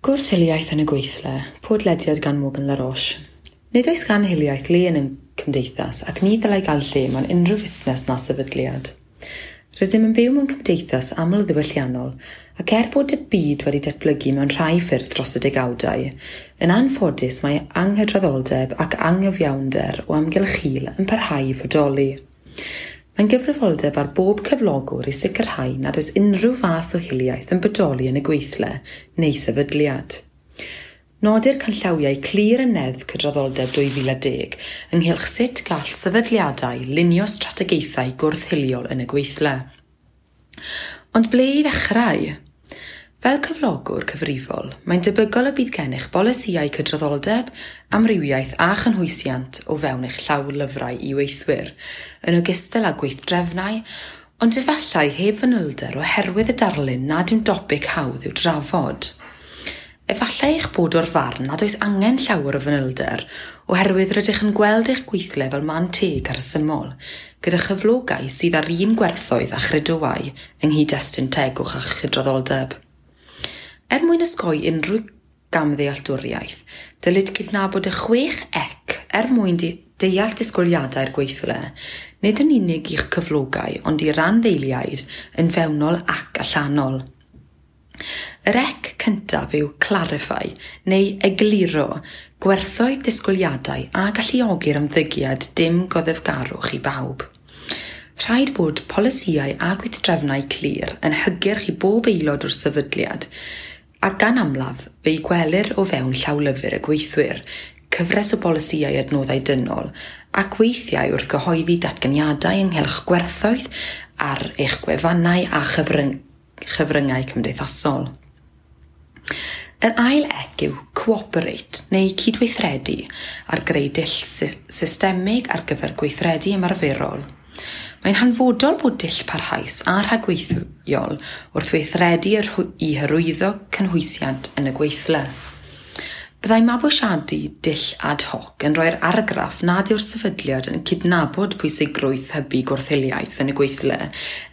Gwrth-hiliaeth yn y gweithle, podlediad gan Morgan Laroche. Nid oes gan hiliaeth le yn ein cymdeithas ac ni ddylai gael lle mewn unrhyw fusnes na sefydliad. Rydym yn byw mewn cymdeithas aml-ddiwylliannol ac er bod y byd wedi datblygu mewn rhai ffyrdd dros y degawdau, yn anffodus mae anghydraddoldeb ac anghyfiawnder o amgylch hil yn parhau i fodoli. Mae'n gyfrifoldeb ar bob cyflogwr i sicrhau nad oes unrhyw fath o hiliaeth yn bodoli yn y gweithle neu sefydliad. Nodir canllawiau clir yn Neddf Cydraddoldeb 2010 ynghylch sut gall sefydliadau lunio strategaethau gwrth-hiliol yn y gweithle. Ond ble i ddechrau? Fel cyflogwr cyfrifol, mae'n debygol y bydd gennych bolisïau cydraddoldeb, amrywiaeth a chynhwysiant o fewn eich llawlyfrau i weithwyr, yn ogystal â gweithdrefnau, ond efallai heb fanylder oherwydd y darlun nad yw'n dopig hawdd i'w drafod. Efallai eich bod o'r farn nad oes angen llawer o fanylder, oherwydd rydych yn gweld eich gweithle fel man teg a rhesymol, gyda chyflogau sydd ar un gwerthoedd a chredoau yng nghyd-destun tegwch a chydraddoldeb. Er mwyn osgoi unrhyw gamddealltwriaeth, dylid cydnabod y 6 ec er mwyn deall disgwyliadau'r gweithle, nid yn unig i'ch cyflogau ond i randdeiliaid yn fewnol ac allanol. Yr ec cyntaf yw clarify neu egluro gwerthoedd disgwyliadau a galluogi'r ymddygiad dim goddefgarwch i bawb. Rhaid bod polisïau a gweithdrefnau clir yn hygyrch i bob aelod o'r sefydliad, a gan amlaf fe'i gwelir o fewn llawlyfr y gweithwyr, cyfres o bolisïau adnoddau dynol, ac weithiau wrth gyhoeddi datganiadau ynghylch gwerthoedd ar eich gwefannau a chyfryngau cymdeithasol. Yr ail ec yw cooperate neu cydweithredu ar greu dull systemig ar gyfer gweithredu ymarferol. Mae'n hanfodol bod dull parhaus a rhagweithiol wrth weithredu i hyrwyddo cynhwysiant yn y gweithle. Byddai mabwysiadu dull ad hoc yn rhoi'r argraff nad yw'r sefydliad yn cydnabod pwysigrwydd hybu gwrth-hiliaeth yn y gweithle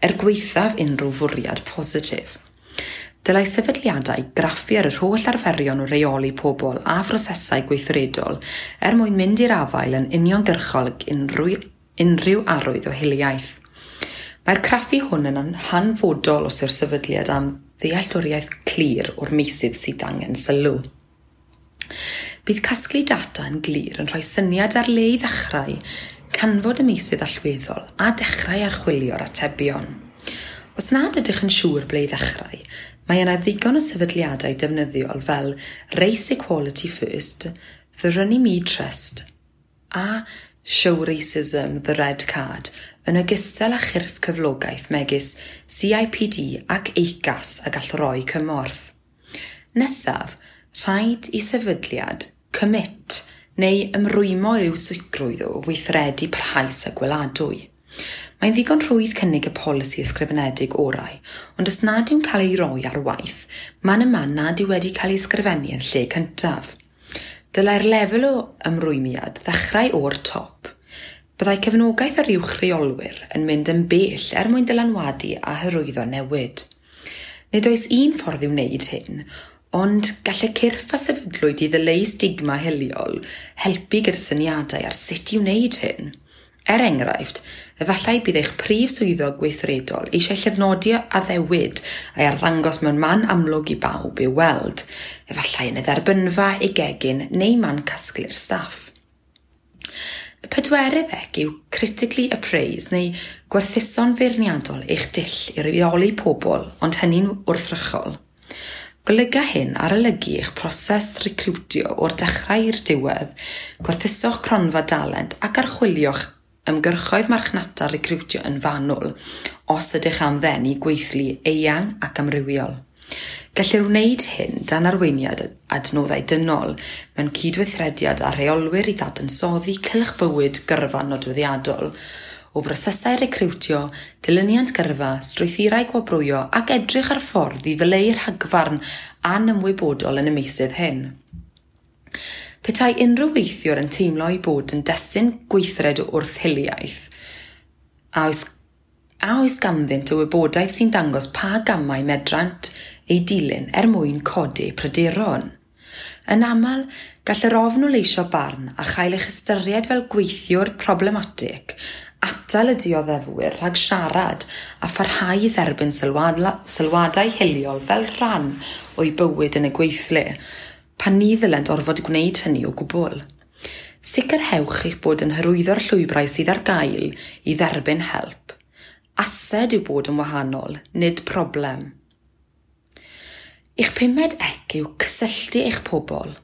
er gwaethaf unrhyw fwriad positif. Dylai sefydliadau graffu ar yr holl arferion o reoli pobl a phrosesau gweithredol er mwyn mynd i'r afael yn uniongyrchol ag unrhyw arwydd o hiliaeth. Mae'r craffu hwn yn hanfodol os yw'r sefydliad am ddealltwriaeth clir o'r meysydd sydd angen sylw. Bydd casglu data yn glir yn rhoi syniad ar le i ddechrau, canfod y meysydd allweddol a dechrau archwilio'r atebion. Os nad ydych yn siŵr ble i ddechrau, mae yna ddigon o sefydliadau defnyddiol fel Race Equality First, The Runnymede Trust a Show Racism, The Red Card, yn ogystal â chyrff cyflogaeth megis CIPD ac ACAS a gall roi cymorth. Nesaf, rhaid i sefydliad commit neu ymrwymo i'w sicrwydd o weithredu parhaus a gweladwy. Mae'n ddigon rhwydd cynnig y polisi ysgrifenedig orau, ond os nad yw'n cael ei roi ar waith, man y man nad yw wedi cael ei ysgrifennu yn lle cyntaf. Dylai'r lefel o ymrwymiad ddechrau o'r top. Byddai cefnogaeth yr uwch reolwyr yn mynd yn bell er mwyn dylanwadu a hyrwyddo newid. Nid oes un ffordd i wneud hyn, ond gall y cyrff a sefydlwyd i ddileu stigma hiliol helpu gyda syniadau ar sut i wneud hyn. Er enghraifft, efallai bydd eich prif swyddog gweithredol eisiau llofnodi addewid a'i arddangos mewn man amlwg i bawb i'w weld, efallai yn y dderbynfa, ei gegin neu man casglu'r staff. Y pedwerydd ec yw critically appraise neu gwerthuso'n feirniadol eich dull i reoli pobl, ond hynny'n wrthrychol. Golyga hyn arolygu eich proses recriwtio o'r dechrau i'r diwedd, gwerthuso'ch cronfa dalent ac archwilio'ch ymgyrchoedd marchnata recriwtio yn fanwl os ydych am ddenu gweithlu eang ac amrywiol. Gellir wneud hyn dan arweiniad adnoddau dynol mewn cydweithrediad â rheolwyr i ddadansoddi cylch bywyd gyrfa nodweddiadol, o brosesau recriwtio, dilyniant gyrfa, strwythurau gwobrwyo ac edrych ar ffordd i ddileu rhagfarn anymwybodol yn y meysydd hyn. Petai unrhyw weithiwr yn teimlo ei bod yn destun gweithred wrth hiliaeth, a oes ganddynt y wybodaeth sy'n dangos pa gamau medrant eu dilyn er mwyn codi pryderon. Yn aml, gall yr ofn o leisio barn a chael eich ystyried fel gweithiwr problematig atal y dioddefwyr rhag siarad a pharhau i dderbyn sylwadau hiliol fel rhan o'i bywyd yn y gweithle, pan ni ddylent orfod gwneud hynny o gwbl. Sicrhewch eich bod yn hyrwyddo'r llwybrau sydd ar gael i dderbyn help. Ased yw bod yn wahanol, nid problem. Eich pumed ec yw cysylltu eich pobl.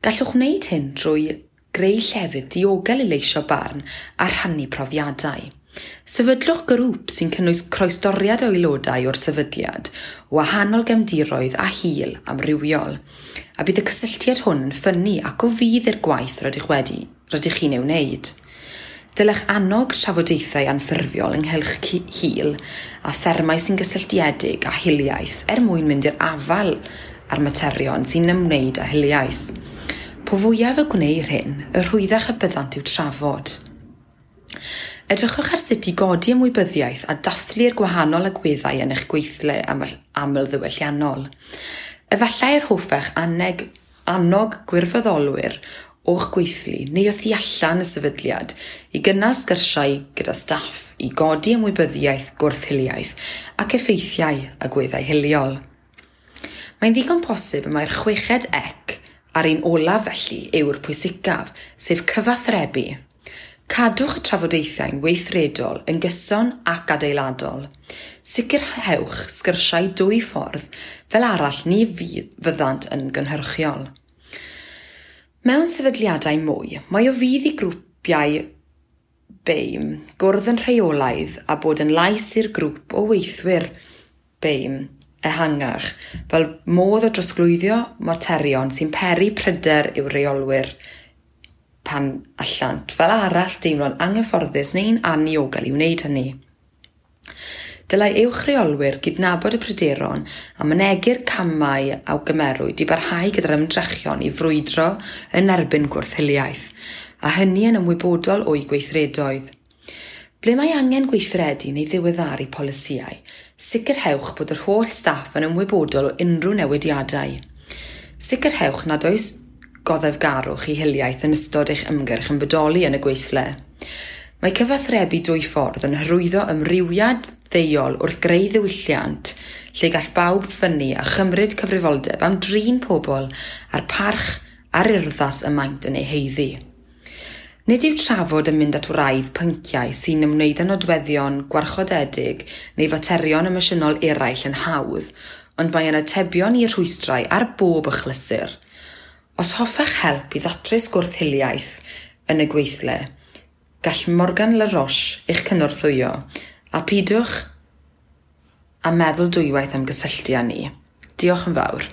Gallwch wneud hyn drwy greu llefydd diogel i leisio barn a rhannu profiadau. Sefydlwch grŵp sy'n cynnwys croesdoriad o aelodau o'r sefydliad, o wahanol gefndiroedd a hil amrywiol, a bydd y cysylltiad hwn yn ffynnu ac o fudd i'r gwaith rydych chi'n ei wneud. Dylech annog trafodaethau anffurfiol ynghylch hil a thermau sy'n gysylltiedig â hiliaeth er mwyn mynd i'r afael â'r materion sy'n ymwneud â hiliaeth. Po fwyaf y gwneir hyn, y rhwyddach y byddant i'w trafod. Edrychwch ar sut i godi ymwybyddiaeth a dathlu'r gwahanol agweddau yn eich gweithle amlddiwylliannol. Efallai yr hoffech annog gwirfoddolwyr o'ch gweithlu neu o thu allan y sefydliad i gynnal sgyrsiau gyda staff i godi ymwybyddiaeth gwrth-hiliaeth ac effeithiau agweddau hiliol. Mae'n ddigon posib y mae'r chweched ec a'r un olaf felly yw'r pwysicaf, sef cyfathrebu. Cadwch y trafodaethau'n weithredol yn gyson ac adeiladol. Sicrhewch sgyrsiau dwy ffordd, fel arall ni fyddant yn gynhyrchiol. Mewn sefydliadau mwy, mae o fudd i grwpiau BAME gwrdd yn rheolaidd a bod yn lais i'r grŵp o weithwyr BAME ehangach, fel modd o drosglwyddo materion sy'n peri pryder i'w reolwyr pan allant fel arall deimlo'n anghyfforddus neu'n anniogel i wneud hynny. Dylai uwch reolwyr gydnabod y pryderon a mynegi'r camau a gymerwyd i barhau gyda'r ymdrechion i frwydro yn erbyn gwrth-hiliaeth, a hynny yn ymwybodol o'u gweithredoedd. Ble mae angen gweithredu neu ddiweddaru polisïau, sicrhewch bod yr holl staff yn ymwybodol o unrhyw newidiadau. Sicrhewch nad oes goddefgarwch i hiliaeth yn ystod eich ymgyrch yn bodoli yn y gweithle. Mae cyfathrebu dwy ffordd yn hyrwyddo ymrywiad ddeuol wrth greu ddiwylliant lle gall bawb ffynnu a chymryd cyfrifoldeb am drin pobl a'r parch a'r urddas y maent yn ei haeddu. Nid yw trafod yn mynd at wraidd pynciau sy'n ymwneud â nodweddion gwarchodedig neu faterion emosiynol eraill yn hawdd, ond mae yna atebion i'r rhwystrau ar bob achlysur. Os hoffech help i ddatrys gwrth-hiliaeth yn y gweithle, gall Morgan Laroche eich cynorthwyo, a pidwch a meddwl dwywaith am gysylltu â ni. Diolch yn fawr.